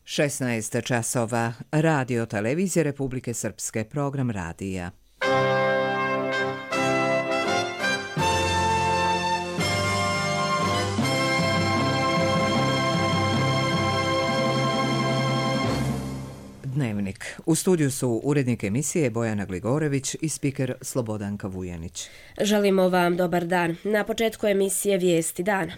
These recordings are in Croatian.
16 časova. Radio televizije Republike Srpske, program radija. Dnevnik. U studiju su urednik emisije Bojana Gligorević i spiker Slobodanka Vujanić. Želimo vam dobar dan. Na početku emisije Vijesti dana.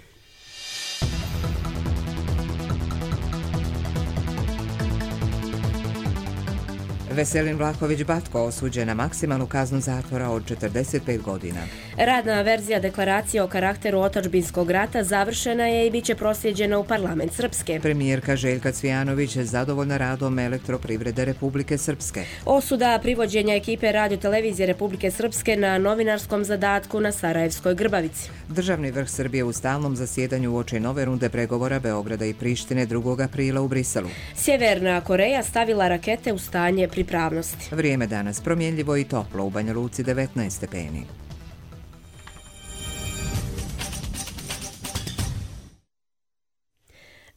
Veselin Vlahović-Batko osuđen na maksimalnu kaznu zatvora od 45 godina. Radna verzija deklaracije o karakteru otadžbinskog rata završena je i bit će proslijeđena u parlament Srpske. Premijerka Željka Cvijanović je zadovoljna radom Elektroprivrede Republike Srpske. Osuda privođenja ekipe Radio televizije Republike Srpske na novinarskom zadatku na Sarajevskoj Grbavici. Državni vrh Srbije u stalnom zasjedanju uoči nove runde pregovora Beograda i Prištine 2. aprila u Briselu. Sjeverna Koreja stavila rakete u stanje pripravnosti. Vrijeme danas promjenljivo i toplo, u Banja Luci 19 stepeni.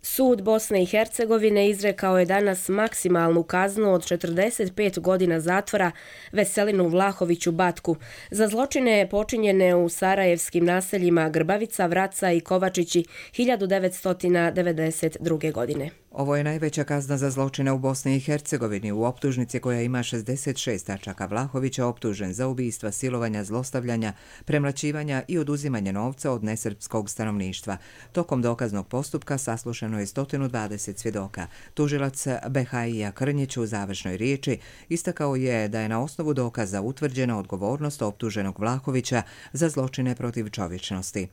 Sud Bosne i Hercegovine izrekao je danas maksimalnu kaznu od 45 godina zatvora Veselinu Vlahoviću-Batku za zločine počinjene u sarajevskim naseljima Grbavica, Vraca i Kovačići 1992. godine. Ovo je najveća kazna za zločine u Bosni i Hercegovini. U optužnici koja ima 66 tačaka Vlahović je optužen za ubistva, silovanja, zlostavljanja, premlaćivanja i oduzimanje novca od nesrpskog stanovništva. Tokom dokaznog postupka saslušano je 120 svjedoka. Tužilac Behaija Krnjić u završnoj riječi istakao je da je na osnovu dokaza utvrđena odgovornost optuženog Vlahovića za zločine protiv čovječnosti.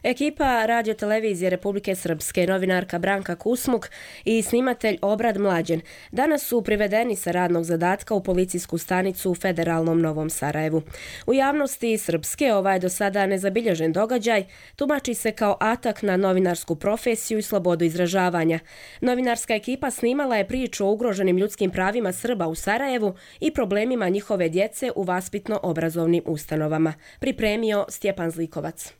Ekipa Radio televizije Republike Srpske, novinarka Branka Kusmuk i snimatelj Obrad Mlađen danas su privedeni sa radnog zadatka u policijsku stanicu u Federalnom Novom Sarajevu. U javnosti Srpske ovaj do sada nezabilježen događaj tumači se kao atak na novinarsku profesiju i slobodu izražavanja. Novinarska ekipa snimala je priču o ugroženim ljudskim pravima Srba u Sarajevu i problemima njihove djece u vaspitno-obrazovnim ustanovama. Pripremio Stjepan Zlikovac.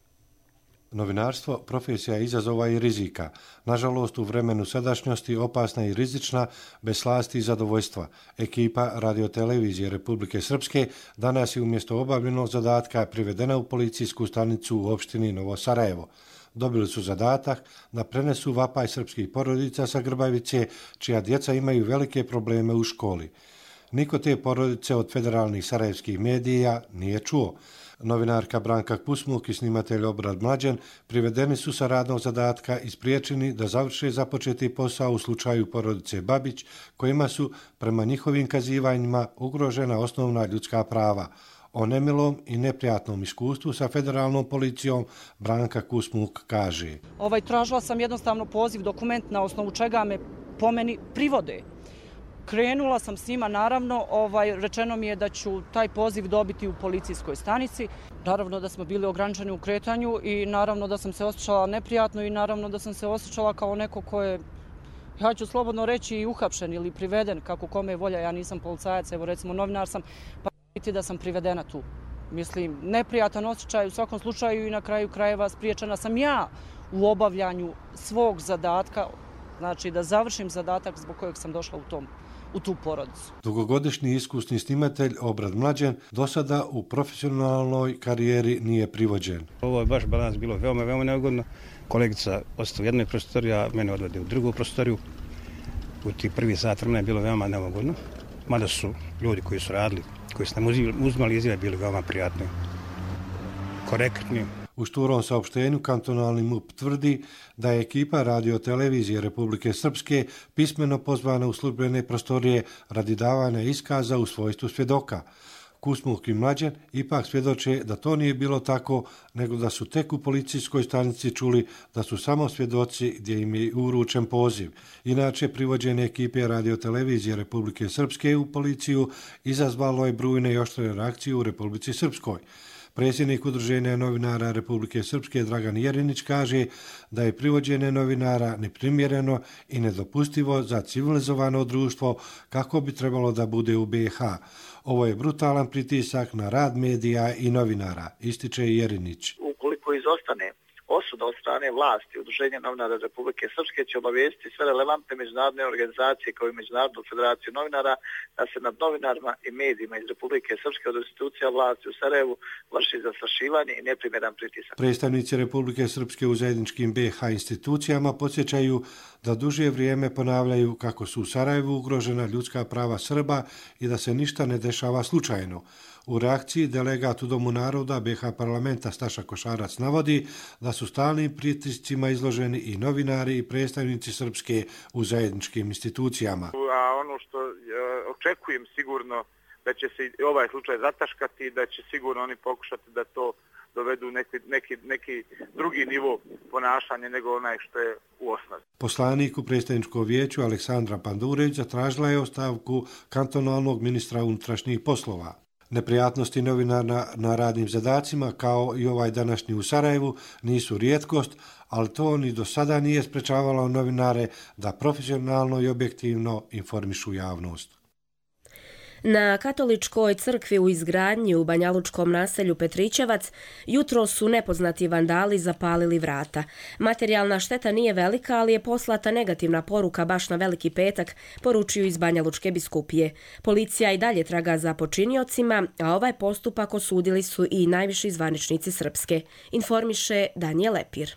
Novinarstvo profesija izazova i rizika. Nažalost, u vremenu sadašnjosti opasna i rizična, bez slasti i zadovoljstva. Ekipa radiotelevizije Republike Srpske danas je umjesto obavljenog zadatka privedena u policijsku stanicu u opštini Novo Sarajevo. Dobili su zadatak da prenesu vapaj srpskih porodica sa Grbavice, čija djeca imaju velike probleme u školi. Niko te porodice od federalnih sarajevskih medija nije čuo. Novinarka Branka Kusmuk i snimatelj Obrad Mlađen privedeni su sa radnog zadatka i spriječeni da završe započeti posao u slučaju porodice Babić, kojima su, prema njihovim kazivanjima, ugrožena osnovna ljudska prava. O nemilom i neprijatnom iskustvu sa federalnom policijom Branka Kusmuk kaže: Tražila sam jednostavno poziv, dokument na osnovu čega me po meni privode. Krenula sam s njima, naravno, rečeno mi je da ću taj poziv dobiti u policijskoj stanici. Naravno da smo bili ograničeni u kretanju i naravno da sam se osjećala neprijatno i naravno da sam se osjećala kao neko ko je, ja ću slobodno reći, i uhapšen ili priveden, kako kome je volja. Ja nisam policajac, evo recimo novinar sam, pa biti da sam privedena tu. Mislim, neprijatan osjećaj u svakom slučaju i na kraju krajeva spriječena sam ja u obavljanju svog zadatka, znači da završim zadatak zbog kojeg sam došla u tu porodicu. Dugogodišnji iskusni snimatelj Obrad Mlađen do sada u profesionalnoj karijeri nije privođen. Ovo je baš balans bilo veoma neugodno. Kolegica ostala u jednoj prostoriji, a mene odvede u drugu prostoriju. U tih prvi sat vremena je bilo veoma neugodno. Mada su ljudi koji su radili, koji su nam uzmali izjave, bili veoma prijatni, korektni. U šturom saopštenju kantonalni MUP tvrdi da je ekipa radiotelevizije Republike Srpske pismeno pozvana u službene prostorije radi davanja iskaza u svojstvu svjedoka. Kusmuk i Mlađen ipak svjedoče da to nije bilo tako, nego da su tek u policijskoj stanici čuli da su samo svjedoci gdje im je uručen poziv. Inače, privođenje ekipe radiotelevizije Republike Srpske u policiju izazvalo je brojne i oštre reakcije u Republici Srpskoj. Predsjednik Udruženja novinara Republike Srpske Dragan Jerinić kaže da je privođenje novinara neprimjereno i nedopustivo za civilizovano društvo kako bi trebalo da bude u BiH. Ovo je brutalan pritisak na rad medija i novinara, ističe Jerinić. Ukoliko izostane osuda od strane vlasti. Udruženje novinara Republike Srpske će obavijestiti sve relevantne međunarodne organizacije kao i Međunarodnu federaciju novinara da se nad novinarima i medijima iz Republike Srpske od institucija vlasti u Sarajevu vrši zastrašivanje i neprimjeran pritisak. Predstavnici Republike Srpske u zajedničkim BiH institucijama podsjećaju da duže vrijeme ponavljaju kako su u Sarajevu ugrožena ljudska prava Srba i da se ništa ne dešava slučajno. U reakciji delegat u Domu naroda BiH parlamenta Staša Košarac navodi da su stalnim pritiscima izloženi i novinari i predstavnici Srpske u zajedničkim institucijama. A ono što očekujem sigurno da će se ovaj slučaj zataškati i da će sigurno oni pokušati da to dovedu neki drugi nivo ponašanja nego onaj što je u osnovi. Poslanik u predstavničkom vijeću Aleksandra Pandureć zatražila je ostavku kantonalnog ministra unutrašnjih poslova. Neprijatnosti novinara na radnim zadacima, kao i ovaj današnji u Sarajevu, nisu rijetkost, ali to ni do sada nije sprečavalo novinare da profesionalno i objektivno informišu javnost. Na katoličkoj crkvi u izgradnji u banjalučkom naselju Petričevac jutro su nepoznati vandali zapalili vrata. Materijalna šteta nije velika, ali je poslata negativna poruka baš na Veliki petak, poručuju iz Banjalučke biskupije. Policija i dalje traga za počiniocima, a ovaj postupak osudili su i najviši zvaničnici Srpske, informiše Danijel Lepir.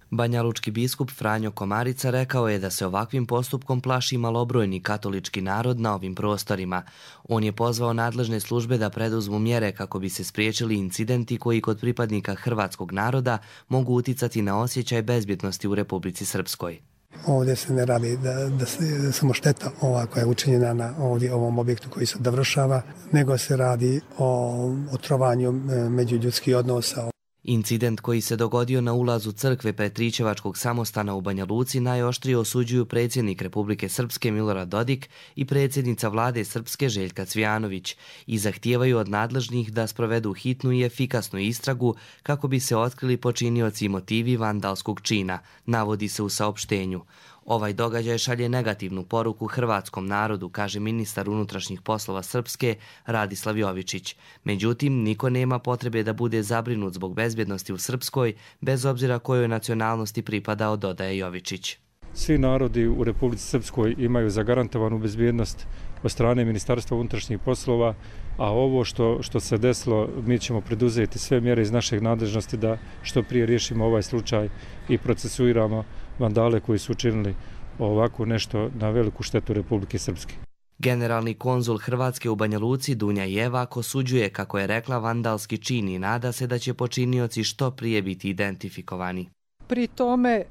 Banjalučki biskup Franjo Komarica rekao je da se ovakvim postupkom plaši malobrojni katolički narod na ovim prostorima. On je pozvao nadležne službe da preduzmu mjere kako bi se spriječili incidenti koji kod pripadnika hrvatskog naroda mogu uticati na osjećaj bezbjednosti u Republici Srpskoj. Ovdje se ne radi da se samo šteta ova koja je učinjena na ovom objektu koji se dovršava, nego se radi o otrovanju međuljudskih odnosa. Incident koji se dogodio na ulazu crkve Petričevačkog samostana u Banja Luci najoštrije osuđuju predsjednik Republike Srpske Milorad Dodik i predsjednica vlade Srpske Željka Cvijanović i zahtijevaju od nadležnih da sprovedu hitnu i efikasnu istragu kako bi se otkrili počinioci i motivi vandalskog čina, navodi se u saopštenju. Ovaj događaj šalje negativnu poruku hrvatskom narodu, kaže ministar unutrašnjih poslova Srpske Radislav Jovičić. Međutim, niko nema potrebe da bude zabrinut zbog bezbjednosti u Srpskoj, bez obzira kojoj nacionalnosti pripadao, dodaje Jovičić. Svi narodi u Republici Srpskoj imaju zagarantovanu bezbjednost od strane Ministarstva unutrašnjih poslova, a ovo što se desilo, mi ćemo preduzeti sve mjere iz našeg nadležnosti da što prije riješimo ovaj slučaj i procesuiramo vandale koji su učinili ovako nešto na veliku štetu Republike Srpske. Generalni konzul Hrvatske u Banja Luci Dunja Jevak osuđuje, kako je rekla, vandalski čin i nada se da će počinioci što prije biti identifikovani. Pri tome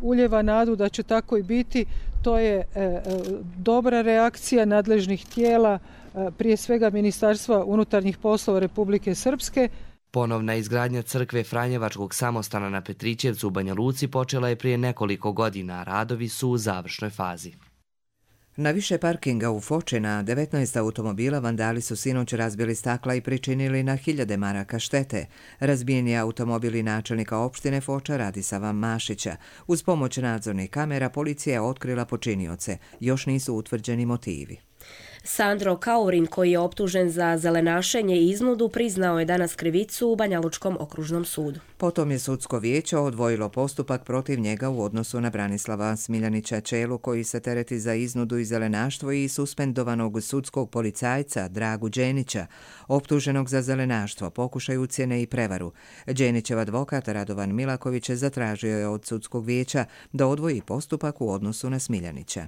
uljeva nadu da će tako i biti. To je dobra reakcija nadležnih tijela, prije svega Ministarstva unutarnjih poslova Republike Srpske. Ponovna izgradnja crkve Franjevačkog samostana na Petričevcu u Banja Luci počela je prije nekoliko godina, a radovi su u završnoj fazi. Na više parkinga u Foči na 19 automobila vandali su sinoć razbili stakla i pričinili na 1000 maraka štete. Razbijeni automobili načelnika opštine Foča Radisava Mašića. Uz pomoć nadzornih kamera policija je otkrila počinioce. Još nisu utvrđeni motivi. Sandro Kaurin, koji je optužen za zelenašenje i iznudu, priznao je danas krivicu u Banjalučkom okružnom sudu. Potom je sudsko vijeće odvojilo postupak protiv njega u odnosu na Branislava Smiljanića Čelu, koji se tereti za iznudu i zelenaštvo, i suspendovanog sudskog policajca Dragu Đenića, optuženog za zelenaštvo, pokušaj ucjene i prevaru. Đenićev advokat Radovan Milaković zatražio je od sudskog vijeća da odvoji postupak u odnosu na Smiljanića.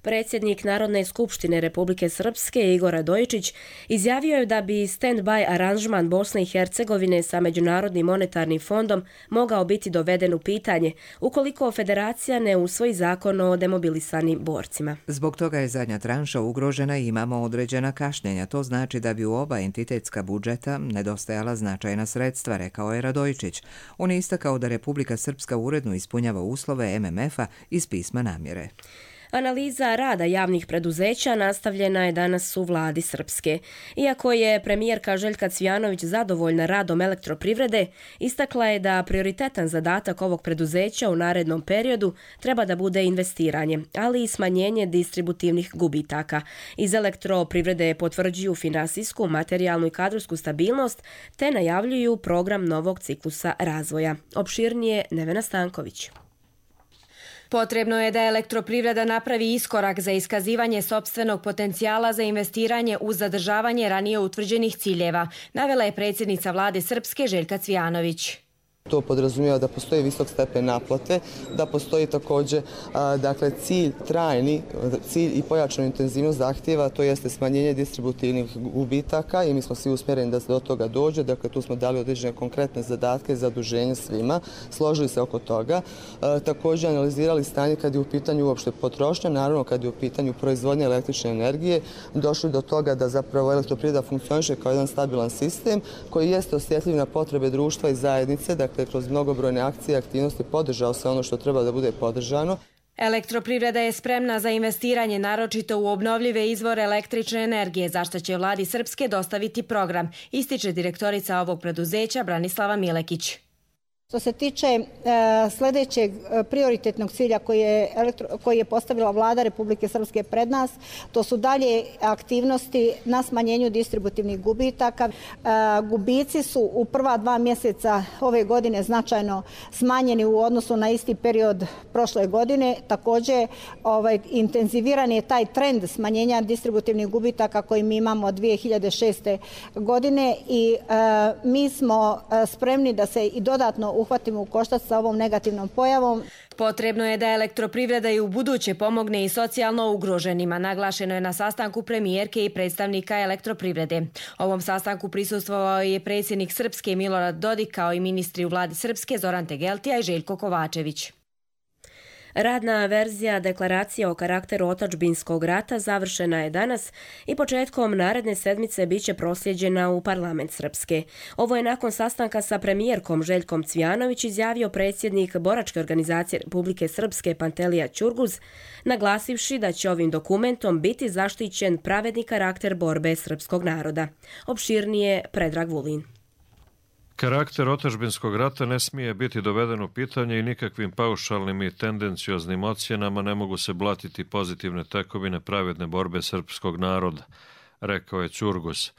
Predsjednik Narodne skupštine Republike Srpske Igor Radojičić izjavio je da bi stand-by aranžman Bosne i Hercegovine sa Međunarodnim monetarnim fondom mogao biti doveden u pitanje ukoliko federacija ne usvoji zakon o demobilisanim borcima. Zbog toga je zadnja tranša ugrožena i imamo određena kašnjenja. To znači da bi u oba entitetska budžeta nedostajala značajna sredstva, rekao je Radojičić. On je istakao da Republika Srpska uredno ispunjava uslove MMF-a iz pisma namjere. Analiza rada javnih preduzeća nastavljena je danas u vladi Srpske. Iako je premijerka Željka Cvijanović zadovoljna radom elektroprivrede, istakla je da prioritetan zadatak ovog preduzeća u narednom periodu treba da bude investiranje, ali i smanjenje distributivnih gubitaka. Iz elektroprivrede potvrđuju finansijsku, materijalnu i kadrovsku stabilnost te najavljuju program novog ciklusa razvoja. Opširnije Nevena Stanković. Potrebno je da elektroprivreda napravi iskorak za iskazivanje sopstvenog potencijala za investiranje uz zadržavanje ranije utvrđenih ciljeva, navela je predsjednica vlade Srpske Željka Cvijanović. To podrazumijeva da postoji visok stepen naplate, da postoji također cilj trajni, cilj i pojačanu intenzivnost zahtjeva, to jeste smanjenje distributivnih gubitaka i mi smo svi usmjereni da se do toga dođe. Dakle, tu smo dali određene konkretne zadatke za zaduženje svima, složili se oko toga. Također analizirali stanje kad je u pitanju uopšte potrošnja, naravno kad je u pitanju proizvodnje električne energije, došli do toga da zapravo elektroprivreda funkcioniše kao jedan stabilan sistem koji jeste osjetljiv na potrebe društva i zajednice, dakle kroz mnogobrojne akcije i aktivnosti podržao se ono što treba da bude podržano. Elektroprivreda je spremna za investiranje naročito u obnovljive izvore električne energije, za što će vladi Srpske dostaviti program, ističe direktorica ovog preduzeća Branislava Milekić. Što se tiče sljedećeg prioritetnog cilja koji je postavila vlada Republike Srpske pred nas, to su dalje aktivnosti na smanjenju distributivnih gubitaka. Gubici su u prva 2 mjeseca ove godine značajno smanjeni u odnosu na isti period prošle godine. Također intenziviran je taj trend smanjenja distributivnih gubitaka koji mi imamo od 2006. godine i mi smo spremni da se i dodatno uhvatimo u koštac sa ovom negativnom pojavom. Potrebno je da elektroprivreda i u buduće pomogne i socijalno ugroženima, naglašeno je na sastanku premijerke i predstavnika elektroprivrede. Ovom sastanku prisustvovao je predsjednik Srpske Milorad Dodik kao i ministri u vladi Srpske Zoran Tegeltija i Željko Kovačević. Radna verzija deklaracije o karakteru otadžbinskog rata završena je danas i početkom naredne sedmice biće prosljeđena u parlament Srpske. Ovo je nakon sastanka sa premijerkom Željkom Cvijanović izjavio predsjednik Boračke organizacije Republike Srpske Pantelija Ćurguz, naglasivši da će ovim dokumentom biti zaštićen pravedni karakter borbe srpskog naroda. Opširnije Predrag Vulin. Karakter otadžbinskog rata ne smije biti doveden u pitanje i nikakvim paušalnim i tendencioznim ocjenama ne mogu se blatiti pozitivne tekovine pravedne borbe srpskog naroda, rekao je Ćurguz.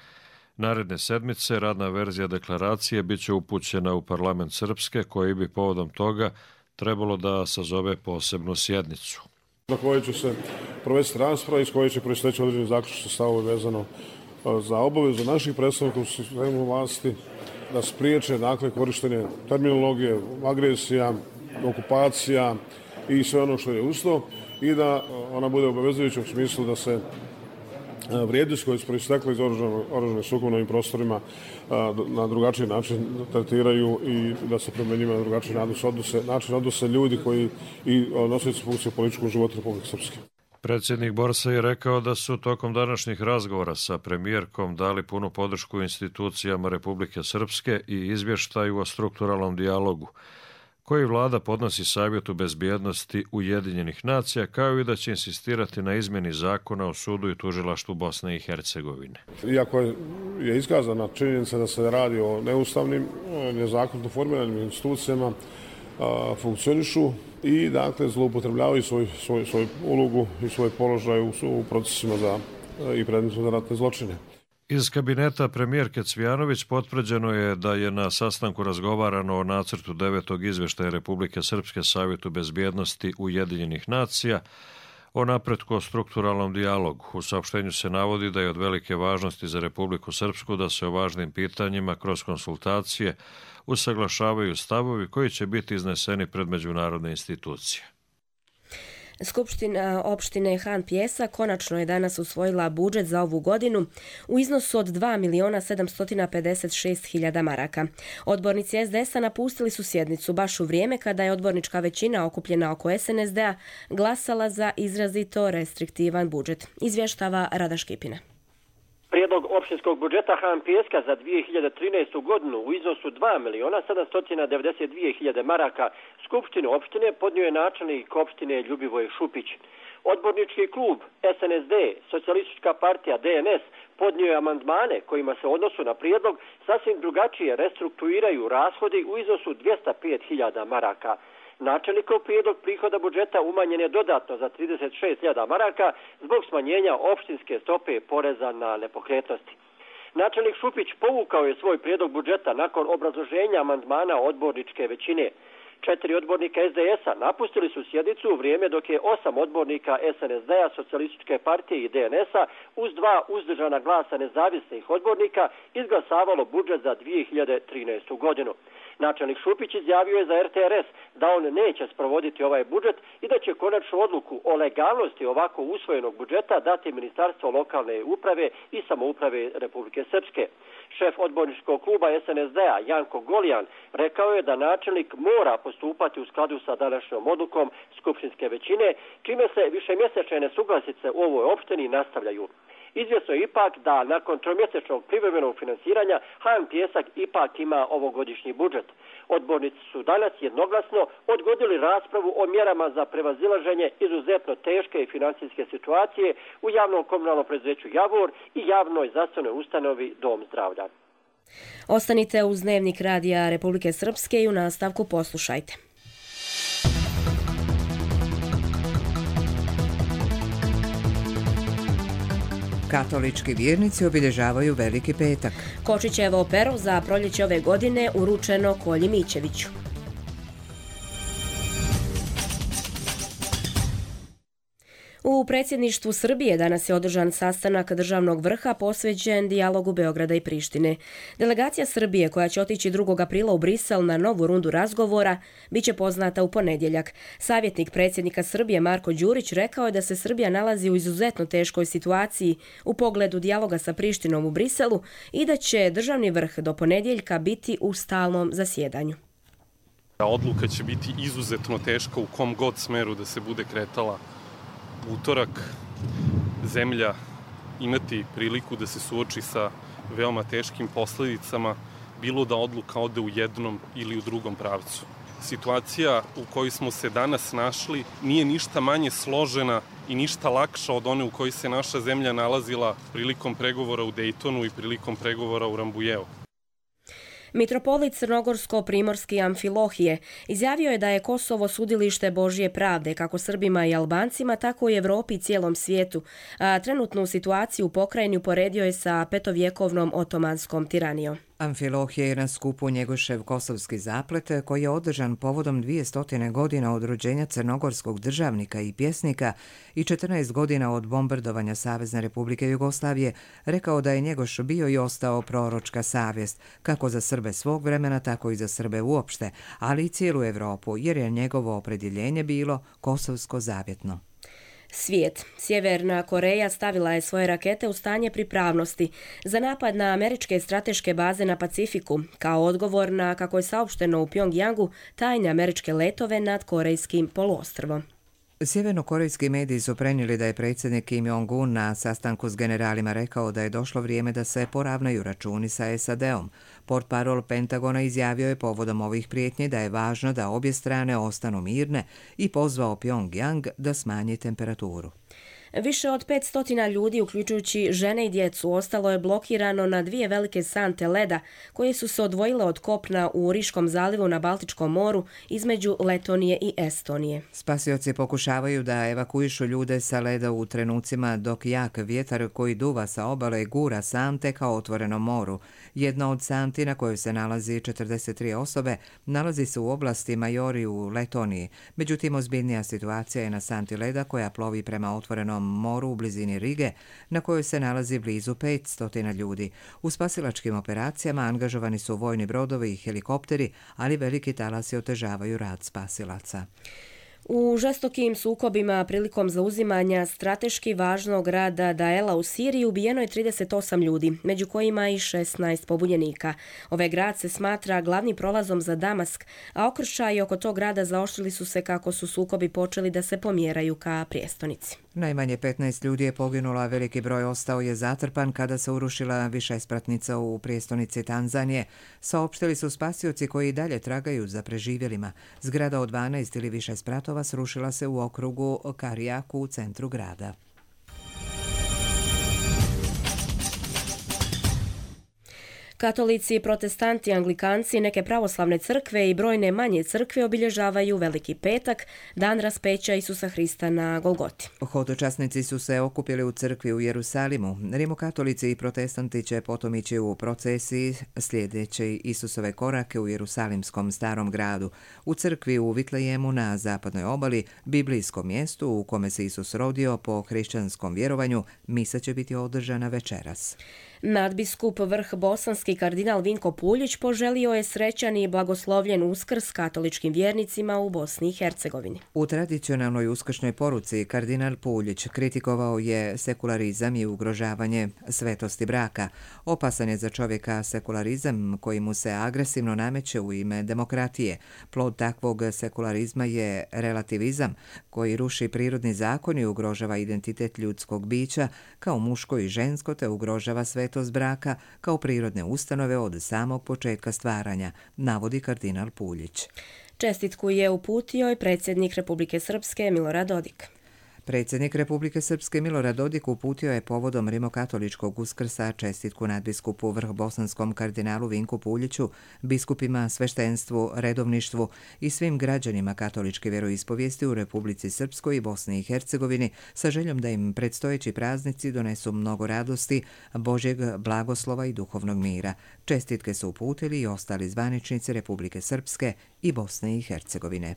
Naredne sedmice radna verzija deklaracije biće upućena u parlament Srpske, koji bi povodom toga trebalo da sazove posebnu sjednicu. Na kojoj će se provesti rasprava iz koje će proisteći određeni zaključni stavovi vezano za obavezu naših predstavnika u sistemu vlasti da spriječe korištenje terminologije, agresija, okupacija i sve ono što je uz to i da ona bude obavezujuća u smislu da se vrijednosti koje su proistekle iz oružane sukobe na ovim prostorima na drugačiji način tretiraju i da se prema njima na drugačiji način odnose ljudi koji i nosioci funkcije u političkom životu Republike Srpske. Predsjednik Borsa je rekao da su tokom današnjih razgovora sa premijerkom dali punu podršku institucijama Republike Srpske i izvještaju o strukturalnom dijalogu, koji vlada podnosi Savjetu bezbjednosti Ujedinjenih nacija, kao i da će insistirati na izmjeni zakona o sudu i tužilaštvu Bosne i Hercegovine. Iako je iskazana činjenica da se radi o neustavnim, nezakonito formiranim institucijama, funkcionišu i zloupotrebljavaju svoju ulogu i svoj položaj u procesima i predmetima za ratne zločine. Iz kabineta premijerke Cvijanović potvrđeno je da je na sastanku razgovarano o nacrtu 9. izvještaja Republike Srpske Savjetu bezbjednosti Ujedinjenih nacija o napretku o strukturalnom dijalogu. U saopštenju se navodi da je od velike važnosti za Republiku Srpsku da se o važnim pitanjima kroz konsultacije usaglašavaju stavovi koji će biti izneseni pred međunarodne institucije. Skupština opštine Han Pjesak konačno je danas usvojila budžet za ovu godinu u iznosu od 2.756.000 maraka. Odbornici SDS-a napustili su sjednicu baš u vrijeme kada je odbornička većina okupljena oko SNSD-a glasala za izrazito restriktivan budžet. Izvještava Rada Škipina. Prijedlog opštinskog budžeta Han Pjeska za 2013. godinu u iznosu 2.792.000 maraka Skupštinu opštine podnio je načelnik opštine Ljubivoj Šupić. Odbornički klub SNSD, Socijalistička partija DNS, podnio je amandmane kojima se u odnosu na prijedlog sasvim drugačije restrukturiraju rashodi u iznosu 205.000 maraka. Načelnikov prijedlog prihoda budžeta umanjen je dodatno za 36.000 maraka zbog smanjenja opštinske stope poreza na nepokretnosti. Načelnik Šupić povukao je svoj prijedlog budžeta nakon obrazloženja amandmana odborničke većine. 4 odbornika SDS-a napustili su sjednicu u vrijeme dok je 8 odbornika SNSD-a, Socijalističke partije i DNS-a uz 2 uzdržana glasa nezavisnih odbornika izglasavalo budžet za 2013. godinu. Načelnik Šupić izjavio je za RTRS da on neće sprovoditi ovaj budžet i da će konačnu odluku o legalnosti ovako usvojenog budžeta dati Ministarstvo lokalne uprave i samouprave Republike Srpske. Šef odborničkog kluba SNSD-a Janko Golijan rekao je da načelnik mora postupati u skladu sa današnjom odlukom skupštinske većine, čime se višemjesečne nesuglasice u ovoj opštini nastavljaju. Izvjesno je ipak da nakon tromjesečnog privremenog finansiranja HM Pijesak ipak ima ovogodišnji budžet. Odbornici su danas jednoglasno odgodili raspravu o mjerama za prevazilaženje izuzetno teške financijske situacije u javnom komunalnom preduzeću Javor i javnoj zdravstvenoj ustanovi Dom zdravlja. Ostanite uz Dnevnik radija Republike Srpske i u nastavku poslušajte. Katolički vjernici obilježavaju Veliki petak. Kočićevo pero za proljeće ove godine uručeno Kolji Mićeviću. U predsjedništvu Srbije danas je održan sastanak državnog vrha posvećen dijalogu Beograda i Prištine. Delegacija Srbije koja će otići 2. aprila u Brisel na novu rundu razgovora biće poznata u ponedjeljak. Savjetnik predsjednika Srbije Marko Đurić rekao je da se Srbija nalazi u izuzetno teškoj situaciji u pogledu dijaloga sa Prištinom u Briselu i da će državni vrh do ponedjeljka biti u stalnom zasjedanju. Odluka će biti izuzetno teška u kom god smeru da se bude kretala. Utorak zemlja imati priliku da se suoči sa veoma teškim posljedicama, bilo da odluka ode u jednom ili u drugom pravcu. Situacija u kojoj smo se danas našli nije ništa manje složena i ništa lakša od one u kojoj se naša zemlja nalazila prilikom pregovora u Dejtonu i prilikom pregovora u Rambujevu. Mitropolit Crnogorsko-Primorski Amfilohije izjavio je da je Kosovo sudilište Božje pravde kako Srbima i Albancima, tako i Evropi i cijelom svijetu, a trenutnu situaciju u pokrajini uporedio je sa petovjekovnom otomanskom tiranijom. Amfilohije je na skupu Njegošev kosovski zaplet koji je održan povodom 200 godina od rođenja crnogorskog državnika i pjesnika i 14 godina od bombardovanja Savezne Republike Jugoslavije rekao da je Njegoš bio i ostao proročka savjest, kako za Srbe svog vremena, tako i za Srbe uopšte, ali i cijelu Evropu, jer je njegovo opredjeljenje bilo kosovsko zavjetno. Svijet. Sjeverna Koreja stavila je svoje rakete u stanje pripravnosti za napad na američke strateške baze na Pacifiku, kao odgovor na, kako je saopšteno u Pjongjangu, tajne američke letove nad Korejskim poluostrvom. Sjevernokorejski mediji su prenijeli da je predsjednik Kim Jong-un na sastanku s generalima rekao da je došlo vrijeme da se poravnaju računi sa SAD-om. Portparol Pentagona izjavio je povodom ovih prijetnji da je važno da obje strane ostanu mirne i pozvao Pjongjang da smanji temperaturu. Više od 500 ljudi, uključujući žene i djecu, ostalo je blokirano na 2 velike sante leda koje su se odvojile od kopna u Riškom zalivu na Baltičkom moru između Letonije i Estonije. Spasioci pokušavaju da evakuišu ljude sa leda u trenucima dok jak vjetar koji duva sa obale gura sante kao otvorenom moru. Jedna od santi na kojoj se nalazi 43 osobe nalazi se u oblasti Majori u Letoniji. Međutim, ozbiljnija situacija je na santi leda koja plovi prema otvorenom moru u blizini Rige, na kojoj se nalazi blizu 500 ljudi. U spasilačkim operacijama angažovani su vojni brodovi i helikopteri, ali veliki talasi otežavaju rad spasilaca. U žestokim sukobima prilikom zauzimanja strateški važnog grada Daela u Siriji ubijeno je 38 ljudi, među kojima i 16 pobunjenika. Ovaj grad se smatra glavnim prolazom za Damask, a okršaji oko tog grada zaoštrili su se kako su sukobi počeli da se pomjeraju ka prijestonici. Najmanje 15 ljudi je poginulo, a veliki broj ostao je zatrpan kada se urušila višespratnica u prijestolnici Tanzanije. Saopštili su spasioci koji i dalje tragaju za preživjelima. Zgrada od 12 ili više spratova srušila se u okrugu Karijaku u centru grada. Katolici, protestanti, anglikanci, neke pravoslavne crkve i brojne manje crkve obilježavaju Veliki petak, dan raspeća Isusa Hrista na Golgoti. Hodočasnici su se okupili u crkvi u Jerusalimu. Rimokatolici i protestanti će potom ići u procesiji slijedeći Isusove korake u Jerusalimskom starom gradu. U crkvi u Vitlejemu na zapadnoj obali, biblijskom mjestu u kome se Isus rodio po hrišćanskom vjerovanju, misa će biti održana večeras. Nadbiskup Vrh bosanski kardinal Vinko Puljić poželio je srećan i blagoslovljen Uskrs katoličkim vjernicima u Bosni i Hercegovini. U tradicionalnoj uskršnjoj poruci kardinal Puljić kritikovao je sekularizam i ugrožavanje svetosti braka. Opasan je za čovjeka sekularizam koji mu se agresivno nameće u ime demokratije. Plod takvog sekularizma je relativizam koji ruši prirodni zakon i ugrožava identitet ljudskog bića kao muško i žensko te ugrožava svetost braka kao prirodne ustanove od samog početka stvaranja, navodi kardinal Puljić. Čestitku je uputio i predsjednik Republike Srpske Milorad Dodik. Predsjednik Republike Srpske Milorad Dodik uputio je povodom rimokatoličkog Uskrsa čestitku nadbiskupu vrhbosanskom kardinalu Vinku Puljiću, biskupima, sveštenstvu, redovništvu i svim građanima katoličke vjeroispovijesti u Republici Srpskoj i Bosni i Hercegovini sa željom da im predstojeći praznici donesu mnogo radosti, Božjeg blagoslova i duhovnog mira. Čestitke su uputili i ostali zvaničnici Republike Srpske i Bosne i Hercegovine.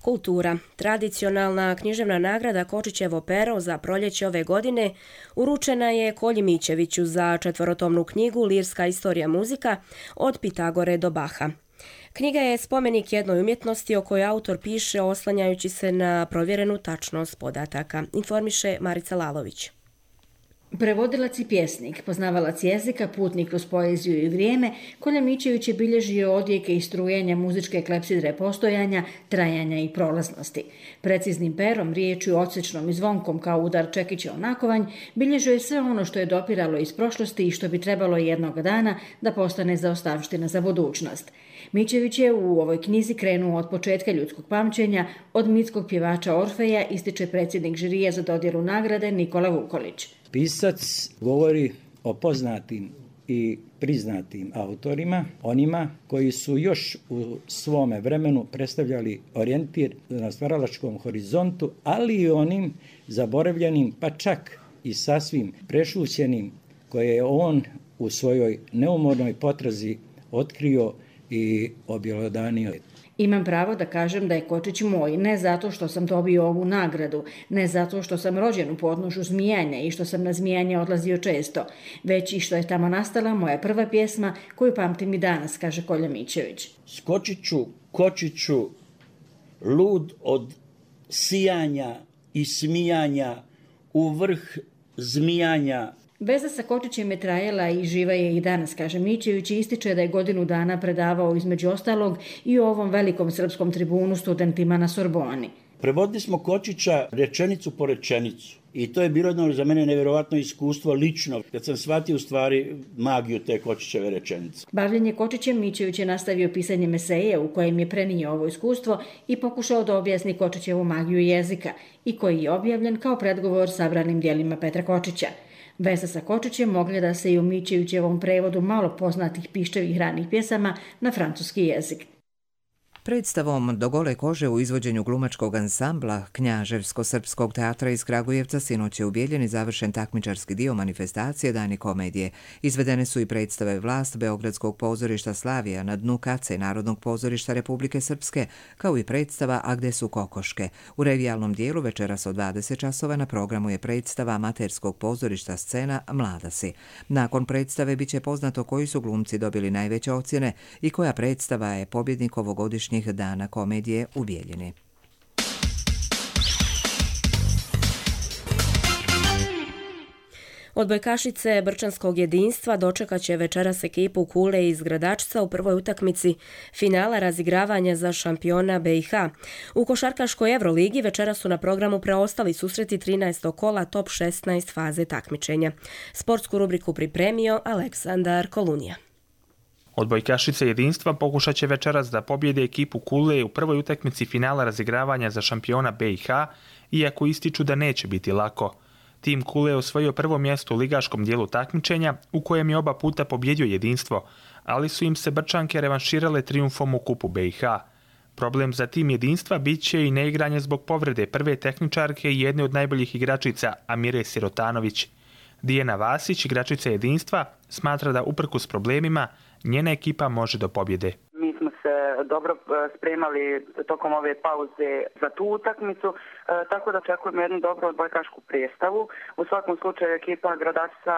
Kultura. Tradicionalna književna nagrada Kočićevo pero za proljeće ove godine uručena je Kolji Mićeviću za četvorotomnu knjigu Lirska istorija muzika od Pitagore do Baha. Knjiga je spomenik jednoj umjetnosti o kojoj autor piše oslanjajući se na provjerenu tačnost podataka, informiše Marica Lalović. Prevodilac i pjesnik, poznavalac jezika, putnik kroz poeziju i vrijeme, Kolja Mićević je bilježio odjeke i strujenja muzičke klepsidre postojanja, trajanja i prolaznosti. Preciznim perom, riječju, odsečnom i zvonkom kao udar čekića o nakovanj, bilježio je sve ono što je dopiralo iz prošlosti i što bi trebalo jednog dana da postane zaostavština za budućnost. Mićević je u ovoj knjizi krenuo od početka ljudskog pamćenja, od mitskog pjevača Orfeja, ističe predsjednik žirija za dodjelu nagrade Nikola Vukolić. Pisac govori o poznatim i priznatim autorima, onima koji su još u svome vremenu predstavljali orijentir na stvaralačkom horizontu, ali i onim zaboravljenim, pa čak i sasvim prešućenim, koje je on u svojoj neumornoj potrazi otkrio i objelodanio. Imam pravo da kažem da je Kočić moj, ne zato što sam dobio ovu nagradu, ne zato što sam rođen u podnožju Zmijanja i što sam na Zmijanje odlazio često, već i što je tamo nastala moja prva pjesma koju pamtim i danas, kaže Kolja Mićević. Skočiću, kočiću, lud od sijanja i smijanja u vrh zmijanja. Veza sa Kočićem je trajala i živa je i danas, kaže Mićević, i ističe da je godinu dana predavao između ostalog i u ovom velikom srpskom tribunu studentima na Sorboni. Prevodili smo Kočića rečenicu po rečenicu i to je bilo jedno za mene nevjerovatno iskustvo lično, kad sam shvatio u stvari magiju te Kočićeve rečenice. Bavljenje Kočićem Mićević je nastavio pisanjem eseje u kojem je prenio ovo iskustvo i pokušao da objasni Kočićevu magiju jezika i koji je objavljen kao predgovor sabranim dijelima Petra Kočića. Veza sa Kočićem mogla da se i u Mićevićevom prevodu malo poznatih piščevih ranih pjesama na francuski jezik. Predstavom Do gole kože u izvođenju glumačkog ansambla Knjaževsko-srpskog teatra iz Kragujevca sinoć je u Bijeljini završen takmičarski dio manifestacije Dani komedije. Izvedene su i predstave Vlast Beogradskog pozorišta Slavija na dnu kace Narodnog pozorišta Republike Srpske, kao i predstava A gde su kokoške. U revijalnom dijelu večeras od 20 časova na programu je predstava amaterskog pozorišta Scena Mlada si. Nakon predstave biće poznato koji su glumci dobili najveće ocjene i koja predstava je pobjednik ovogodišnjeg Dana komedije u Bijeljini. Odbojkašice Brčanskog jedinstva dočekat će večeras ekipu Kule iz Gradačca u prvoj utakmici finala razigravanja za šampiona BiH. U košarkaškoj Euroligi večeras su na programu preostali susreti 13. kola top 16 faze takmičenja. Sportsku rubriku pripremio Aleksandar Kolunija. Odbojkašice jedinstva pokušat će večeras da pobjede ekipu Kule u prvoj utakmici finala razigravanja za šampiona BiH, iako ističu da neće biti lako. Tim Kule je osvojio prvo mjesto u ligaškom dijelu takmičenja, u kojem je oba puta pobjedio jedinstvo, ali su im se Brčanke revanširale trijumfom u kupu BiH. Problem za tim jedinstva bit će i neigranje zbog povrede prve tehničarke i jedne od najboljih igračica, Amire Sirotanović. Dijana Vasić, igračica jedinstva, smatra da uprkos problemima njena ekipa može do pobjede. Mi smo se dobro spremali tokom ove pauze za tu utakmicu, tako da očekujemo jednu dobru odbojkašku predstavu. U svakom slučaju ekipa Gradačca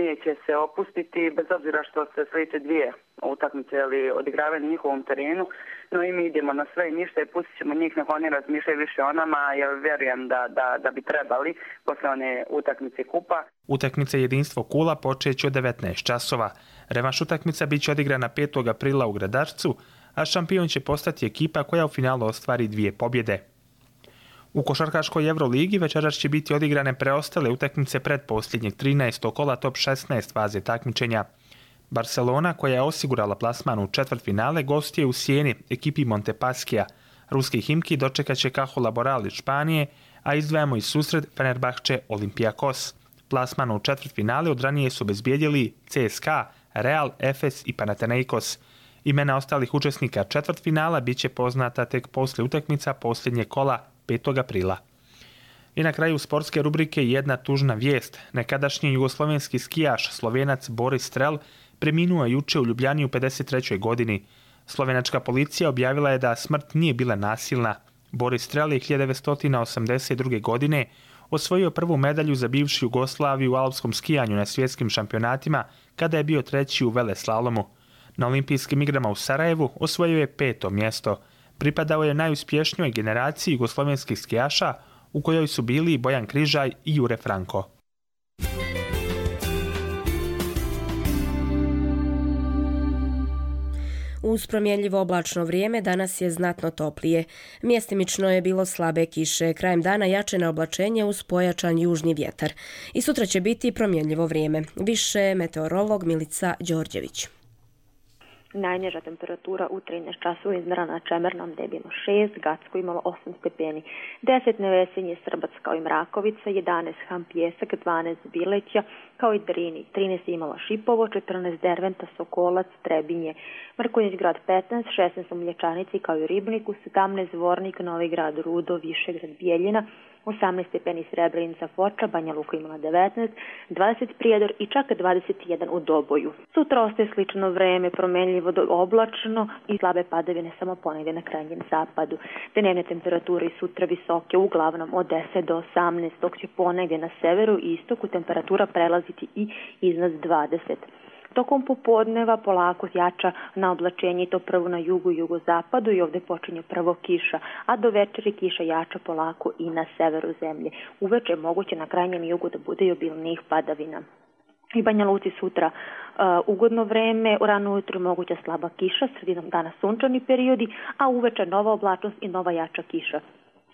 neće se opustiti, bez obzira što se sljedeće dvije utakmice odigravaju na njihovom terenu, no i mi idemo na sve i ništa i pustit ćemo njih nek oni razmišljaju više o nama, jer vjerujem da bi trebali posle one utakmice kupa. Utakmica jedinstvo Kula počeće od 19 časova. Revanš utakmica bit će odigrana 5. aprila u Gradačcu, a šampion će postati ekipa koja u finalu ostvari 2 pobjede. U košarkaškoj Euroligi večeras će biti odigrane preostale utakmice predposljednjeg 13. kola top 16 faze takmičenja. Barcelona, koja je osigurala plasman u četvrtfinale, gostuje u Sijeni ekipi Montepaskija. Ruski Himki dočekat će Caja Laboral iz Španije, a izdvajamo i susret Fenerbahče Olympiakos. Plasman u četvrtfinale od ranije su obezbijedili CSKA, Real, Efes i Panathinaikos. Imena ostalih učesnika četvrtfinala bit će poznata tek poslije utakmica posljednjeg kola 5. aprila. I na kraju sportske rubrike jedna tužna vijest. Nekadašnji jugoslovenski skijaš Slovenac Boris Strel preminuo je juče u Ljubljani u 53. godini. Slovenačka policija objavila je da smrt nije bila nasilna. Boris Strel je 1982. godine osvojio prvu medalju za bivšu Jugoslaviju u alpskom skijanju na svjetskim šampionatima kada je bio 3. u veleslalomu. Na olimpijskim igrama u Sarajevu osvojio je 5. mjesto. Pripadao je najuspješnijoj generaciji jugoslovenskih skijaša u kojoj su bili Bojan Križaj i Jure Franko. Uz promjenljivo oblačno vrijeme danas je znatno toplije. Mjestimično je bilo slabe kiše, krajem dana jače na oblačenje uz pojačan južni vjetar. I sutra će biti promjenljivo vrijeme. Više meteorolog Milica Đorđević. Najniža temperatura u 13 časova izmjerena na Čemernom gdje je bilo 6, Gacko imalo 8 stepeni, 10 Nevesinje, Srbac kao i Mrakovica, 11 Ham Pjesak, 12 Bileća kao i Drini, 13 imala Šipovo, 14 Derventa, Sokolac, Trebinje, Mrkonjić grad 15, 16 u Mlječanici kao i Ribniku, 17 Zvornik, Novi grad, Rudo, Višegrad, Bijeljina, 18 stepeni Srebrenica, Foča, Banja Luka imala 19, 20 Prijedor i čak 21 u Doboju. Sutra ostaje slično vreme, promenljivo do oblačno i slabe padavine samo ponegdje na krajnjem zapadu. Dnevne temperature sutra visoke, uglavnom od 10 do 18, dok će ponegdje na severu i istoku temperatura prelaziti i iznad 20. Tokom popodneva polako jača na oblačenje i to prvo na jugu i jugozapadu i ovdje počinje prvo kiša, a do večeri kiša jača polako i na severu zemlje. Uveče je moguće na krajnjem jugu da bude i obilnijih padavina. I Banja Luci sutra ugodno vreme, rano ujutro moguća slaba kiša, sredinom dana sunčani periodi, a uveče nova oblačnost i nova jača kiša.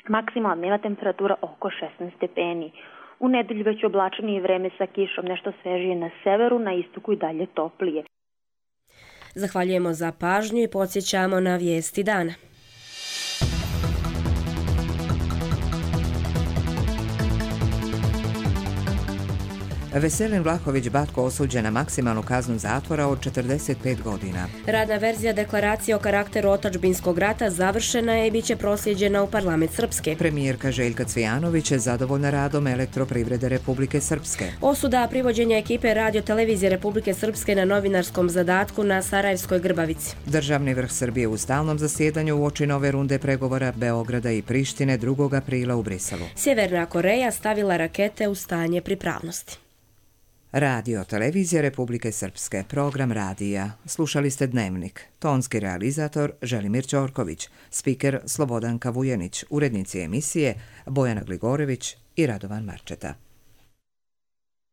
Maksimalna dnevna temperatura oko 16 stepeni. U nedelju već oblačenije vreme sa kišom, nešto svežije na severu, na istoku i dalje toplije. Zahvaljujemo za pažnju i podsjećamo na vijesti dana. Veselin Vlahović Batko osuđen na maksimalnu kaznu zatvora od 45 godina. Radna verzija deklaracije o karakteru otadžbinskog rata završena je i bit će proslijeđena u parlament Srpske. Premijerka Željka Cvijanović je zadovoljna radom Elektroprivrede Republike Srpske. Osuda privođenja ekipe Radio Televizije Republike Srpske na novinarskom zadatku na Sarajevskoj Grbavici. Državni vrh Srbije u stalnom zasjedanju uoči nove runde pregovora Beograda i Prištine 2. aprila u Briselu. Sjeverna Koreja stavila rakete u stanje pripravnosti. Radio Televizija Republike Srpske, program radija. Slušali ste Dnevnik. Tonski realizator Želimir Ćorković, spiker Slobodanka Vujenić, urednici emisije Bojana Gligorević i Radovan Marčeta.